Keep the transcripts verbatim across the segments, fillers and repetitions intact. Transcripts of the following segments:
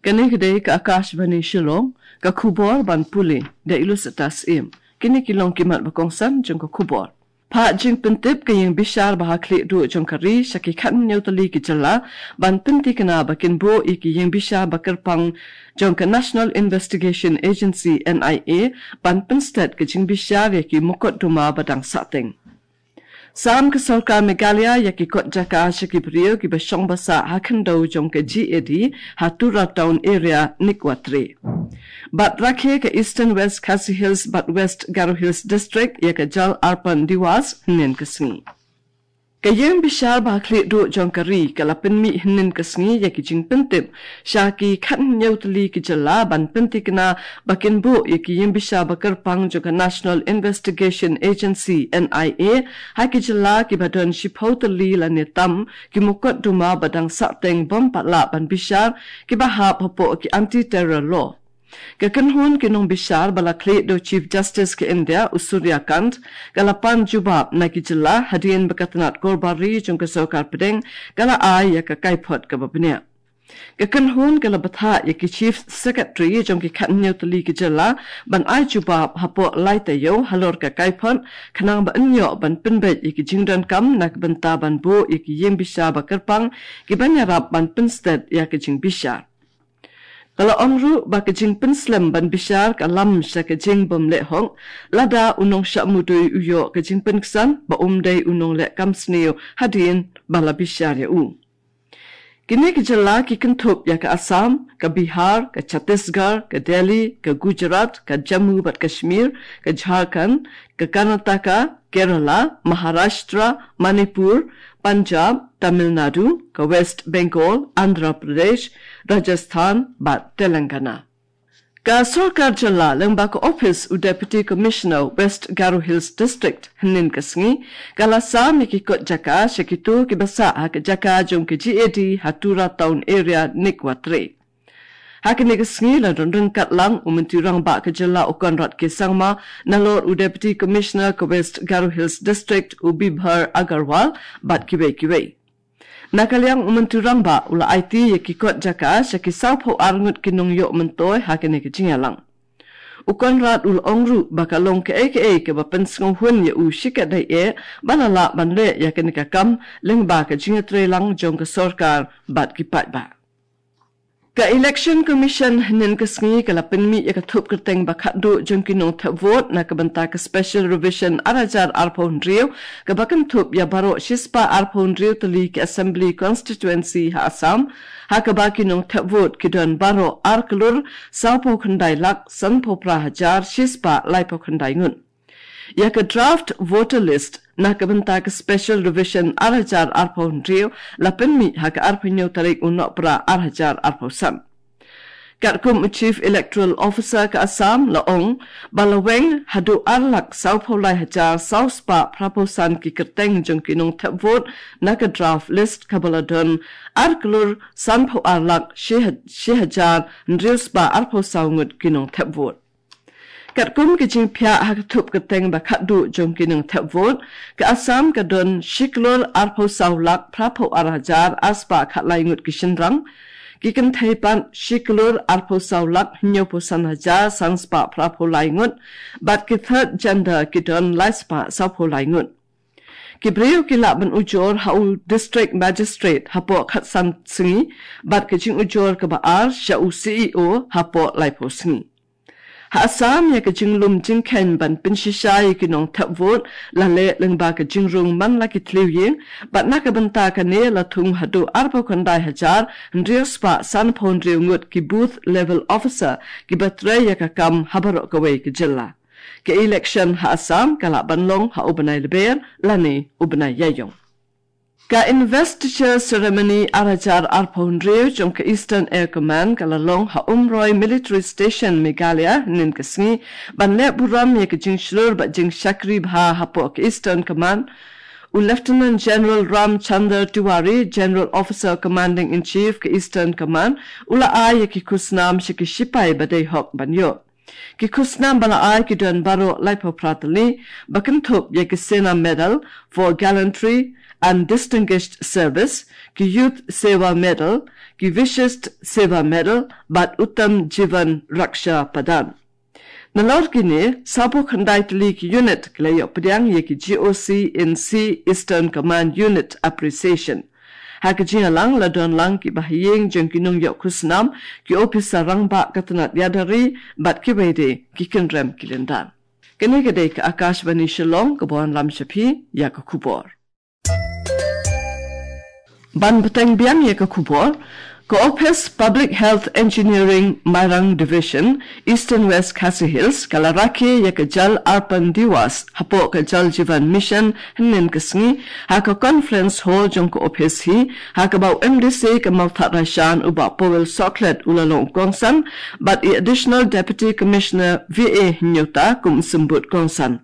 Kane ka dei ka Akashvani Shillong, ka khubor ban pule da i Lucetta Syiem. Kine ki long ki mat ba kongsan jong ka khubor. Phah jingpyntip ka ïing bishar ba ha khlieh duh jong ka ri sha ki khathynñiew tylli ki jylla ban pynthikna ba kin buh ïa ki ïing bishar ba kyrpang jong ka National Investigation Agency, N I A, ban pynstet ka jingbishar ïa ki mukotduma ba dang sahteng. Sam ka sorkar Meghalaya ïa ki kot jaka sha ki briew kiba shong ba sah ha khyndew jong ka G A D ha Tura Town Area, Nikwatre. Bad rakhe ka Eastern West Khasi Hills bad West Garo Hills District ïa ka Jal Arpan Diwas hynnin ka sngi. Ka ïing bishar ba ha khlieh duh jong ka ri ka la pynmih hynnin ka sngi ïa ki jingpyntip sha ki khathynñiew tylli ki jylla ban pynthikna ba kin buh ïa ki ïing bishar ba kyrpang jong ka National Investigation Agency, N I A, ha ki jylla kiba don shiphew tylli lane tam ki mukotduma ba dang sahteng bym pat lah ban bishar kiba hap hapoh ki anti-terror law. Ka kynhun ki nongbishar ba la khlieh da u Chief Justice ka India, u Surya Kant, ka la pan jubab na ki jylla hadien ba ka tnat korbar ri jong ka sorkar pdeng ka la ai ïa ka kaiphod kaba bniah. Ka kynhun ka la bthah ïa ki Chief Secretary jong ki khathynñiew tylli ki jylla ban ai jubab hapoh lai taïew halor ka kaiphod khnang ba yn ïoh ban pynbeit ïa ki jingdonkam na ka bynta ban buh ïa ki ïing bishar ba kyrpang kiban ïarap ban pynstet ïa ka jingbishar. Ka la ong ruh ba ka jingpynslem ban bishar ka lam sha ka jingbymleh hok lada u nongshah mudui u ïoh ka jingpynksan ba um dei u nongleh kam sniew hadien ba la bishar ïa u. Kine ki jylla ki kynthup ïa ka Assam, ka Bihar, ka Chhattisgarh, ka Delhi, ka Gujarat, ka Jammu bad Kashmir, ka Jharkhand, ka Karnataka, Kerala, Maharashtra, Manipur, Punjab, Tamil Nadu, ka West Bengal, Andhra Pradesh, Rajasthan bad Telangana. Ka sorkar jylla lyngba ka ophis u Deputy Commissioner West Garo Hills District hynnin ka sngi ka la sam ïa ki kot jaka sha kito kiba sah ha ka jaka jong ka G A D ha Tura Town Area, Nikwatre. Ha kane ka sngi la don ryngkat lang u Myntri Rangbah ka jylla u Conrad K Sangma, nalor u Deputy Commissioner ka West Garo Hills District u Bibhar Agarwal bad kiwei kiwei. Na ka liang u Myntri Rangbah u la aiti ïa ki kot jaka sha ki sawphew ar ngut ki nongïoh myntoi ha kane ka jingïalang. U Conrad u la ong ruh ba ka long kaei kaei kaba pynsngewhun ïa u shikatdei eh ba la lah ban leh ïa kane ka kam lyngba ka jingïatreilang jong ka sorkar bad ki paidbah. Ka Election Commission hynnin ka sngi ka la pynmih ïa ka thup kyrteng ba khatduh jong ki nongthep vote na ka bynta ka Special Revision ar hajar arphew hynriew kaba kynthup ïa baroh shispah arphew hynriew tylli ki Assembly Constituency ha Assam, ha kaba ki nongthep vote ki don baroh ar klur sawphew khyndai lak sanphew phra hajar shispah laiphew khyndai ngut. Ïa ka draft voter list na ka bynta ka Special Revision ar hajar arphew hynriew la pynmih ha ka arphew hynñiew tarik u Nohprah ar hajar arphew san. Katkum u Chief Electoral Officer ka Assam la ong ba la weng haduh ar lak sawphew lai hajar sawspah phraphew san ki kyrteng jong ki nongthep vote na ka draft list kaba la don ar klur sanphew ar lak shi ha-, shi hajar hynriew spah arphew saw ngut ki nongthep vote. Katkum ka jingphiah ha ka thup kyrteng ba khatduh jong ki nongthep vote, ka Assam ka don shi klur arphew saw lak phraphew ar hajar ar spah khatlai ngut ki shynrang, ki kynthei pat shi klur arphew saw lak hynñiewphew san hajar san spah phraphew lai ngut, bad ki third gender ki don lai spah sawphew lai ngut. Ki briew ki lah ban ujor ha u District Magistrate hapoh khatsan sngi, bad ka jingujor kaba ar sha u C E O hapoh laiphew sngi. Ha Assam ïa ka jinglum jingkheiñ ban pynshisha ïa ki nongthep vote la leh lyngba ka jingrung man la ki thliew ïing, bad na ka bynta kane la thung haduh arphew khyndai hajar hynriew spah sanphew hynriew ngut ki booth level officer kiba trei ïa ka kam ha baroh kawei ka jylla. Ka election ha Assam ka lah ban long ha u bnai Lber lane u bnai Ïaïong. Ka investiture ceremony ar hajar arphew hynriew jong ka Eastern Air Command ka la long ha Umroi Military Station, Meghalaya, hynnin ka sngi, ban leh burom ïa ka jingshlur bad jingshakri bha hapoh ka Eastern Command. U Lieutenant General Ram Chandar Tiwari, General Officer Commanding in Chief ka Eastern Command, u la ai ïa ki khusnam sha ki shipai ba dei hok ban ïoh. Ki khusnam ba la ai ki don baroh laiphew phra tylli, ba kynthup ïa ki Sena Medal for Gallantry and Distinguished Service, ki Youth Seva Medal, ki Vishisht Seva Medal, bad Uttam Jeevan Raksha Padak. Nalor kine, sawphew khyndai tylli ki unit ki la ïoh pdiang ïa ki G O C in C Eastern Command Unit Appreciation. Ha ka jingïalang la don lang ki bahaïing jong ki nongïoh khusnam, ki ophisar rangbah ka tnat ïada ri, bad kiwei de ki kynrem ki lyndan. Kane ka dei ka Akashvani Shillong kaba wanlam sha phi ïa ka khubor. Ban bteng biang ïa ka khubor, ka Office Public Health Engineering Mairang Division, Eastern West Khasi Hills, ka la rakhe ïa ka Jal Arpan Diwas, hapoh ka Jal Jeevan Mission, hynnin ka sngi, ha ka Conference Hall jong ka office hi, ha kaba u M D C ka Mawthadraishan u Bah Powell Sohkhlet u la long kongsan, bad i Additional Deputy Commissioner V A Hynñiewta kum symbud kongsan.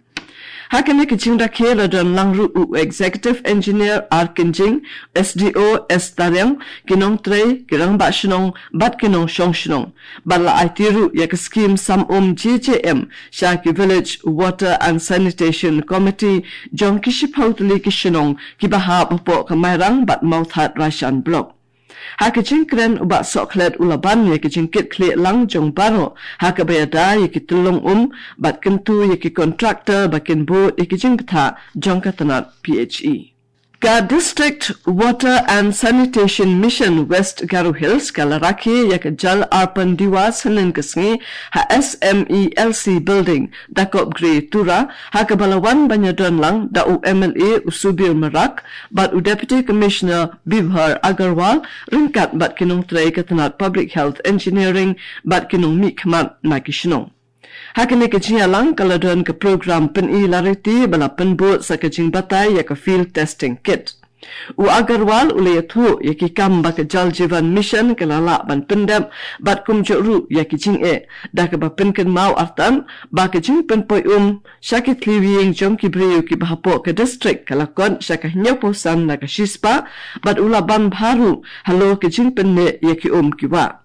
Ha kane ka jingrakhe la don lang ruh u Executive Engineer R Kynjing, S D O S Tariang, ki nongtrei, ki rangbah shnong, bad ki nongshong shnong. Bad la aiti ruh ïa ka skim sam um G J M, sha ki Village Water and Sanitation Committee, jong ki shiphew tylli ki shnong, kiba hap hapoh ka Mairang bad Mawthadraishan Block. Ha ka jingkren u Bah Sohkhlet u la ban ïa ka jingkitkhlieh lang jong baroh, ha kaba ïada ïa ki tyllong um, bad kyntu ïa ki contractor ba kin bud ïa ki jingbthah jong ka tnat P H E. Ka District Water and Sanitation Mission West Garo Hills ka la rakhe ïa ka Jal Arpan Diwas hynnin ka sngi ha S M E L C Building, Dakopgre, Tura, ha kaba la wan ban ïadon lang da u M L A u Subir Marak, bad u Deputy Commissioner Bibhar Agarwal, ryngkat bad ki nongtrei ka tnat Public Health Engineering, bad ki nongmihkhmat na ki shnong. Ha kane ka jingïalang ka la don ka program pyni lariti ba la pynbud sa ka jingbatai ïa ka field testing kit. U Agarwal u la ïathuh ïa ki kam ba ka Jal Jeevan Mission ka la lah ban pyndep, bad kumjuh ruh ïa ki jingeh, da kaba pynkynmaw artat ba ka jingpynpoi um sha ki thliew ïing jong ki briew kiba hapoh ka district ka la kot sha ka hynñiewphew san na ka shispah, bad u la ban bha ruh halor ka jingpynneh ïa ki um ki wah.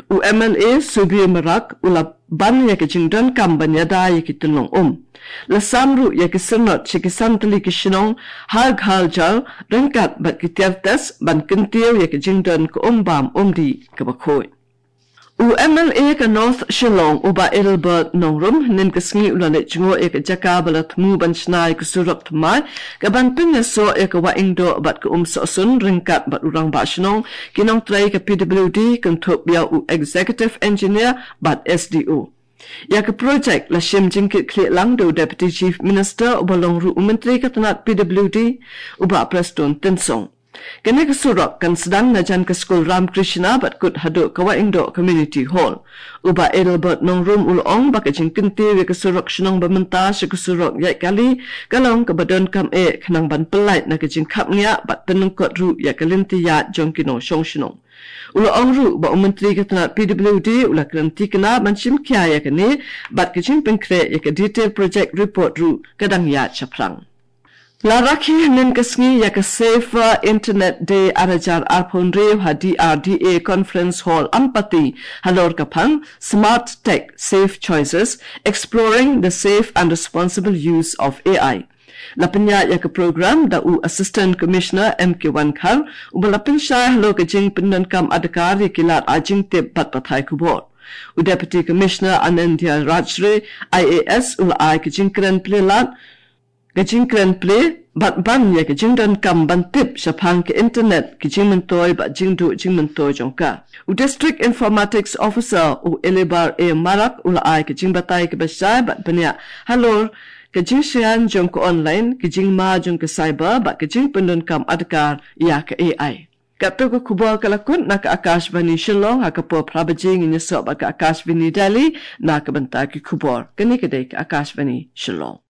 U M L A Subir Marak u la ban ïa ka jingdonkam ban ïada ïa ki tyllong um. La sam ruh ïa ki syrnod sha ki san tylli ki shnong, Har Ghar Jal, ryngkat bad ki tiar test ban kyntiew ïa ka jingdon ka um bam um dih kaba khuid. U M L A ka North Shillong u Bah Adelbert Nongrum hynnin ka sngi u la leit jngoh ïa ka jaka ba la thmu ban shna ïa ka surok thymmai, kaban pynïasoh ïa ka Wahingdoh bad ka Umsohsun ryngkat bad u rangbah shnong, ki nongtrei ka P W D, kynthup ïa u Executive Engineer bad S D O. Ïa ka projek la shim jingkitkhlieh lang da u Deputy Chief Minister uba long ruh u Myntri ka tnat P W D, u Bah Prestone Tynsong. Kane ka surok kan sdang na jan ka skul Ram Krishna bad kut haduh ka Wahingdoh Community Hall. U Bah Adelbert Nongrum u la ong ba ka jingkyntiew ïa ka surok shnong ba mynta sha ka surok ïaid kali ka long kaba donkam eh khnang ban pyllait na ka jingkhapngiah bad pynlyngkot ruh ïa ka lynti ïaid jong ki nongshong shnong. U la ong ruh ba u Myntri ka tnat P W D u la kren thikna ban shim khia ïa kane, bad ka jingpynkhreh ïa ka detail project report ruh ka dang ïaid shaphrang. La rakhe hynnin ka sngi ïa ka Safer Internet Day ar hajar arphew hynriew ha D R D A Conference Hall Ampati halor ka phang Smart Tech, Safe Choices, Exploring the Safe and Responsible Use of A I. La pynïaid ïa ka program da u Assistant Commissioner M K Wankhar, uba la pynshai halor ka jingpyndonkam adkar ïa ki lad ai jingtip bad pathai khubor. U Deputy Commissioner Anandya Rajre, I A S, u la ai ka jingkren plie lad, ka jingkren plie bad ban ïa ka jingdonkam ban tip shaphang ka internet, ki jingmyntoi bad jingduh jingmyntoi jong ka. U District Informatics Officer u Elibar A Marak u la ai ka jingbatai kaba shai bad bniah halor ka jingshngaiñ jong ka online, ka jingma jong ka cyber bad ka jingpyndonkam adkar ïa ka A I. Katto ka khubor ka la kut na ka Akashvani Shillong, ha ka por phra baje ngin ïasoh bad ka Akashvani Delhi na ka bynta ki khubor. Kane ka dei ka Akashvani Shillong.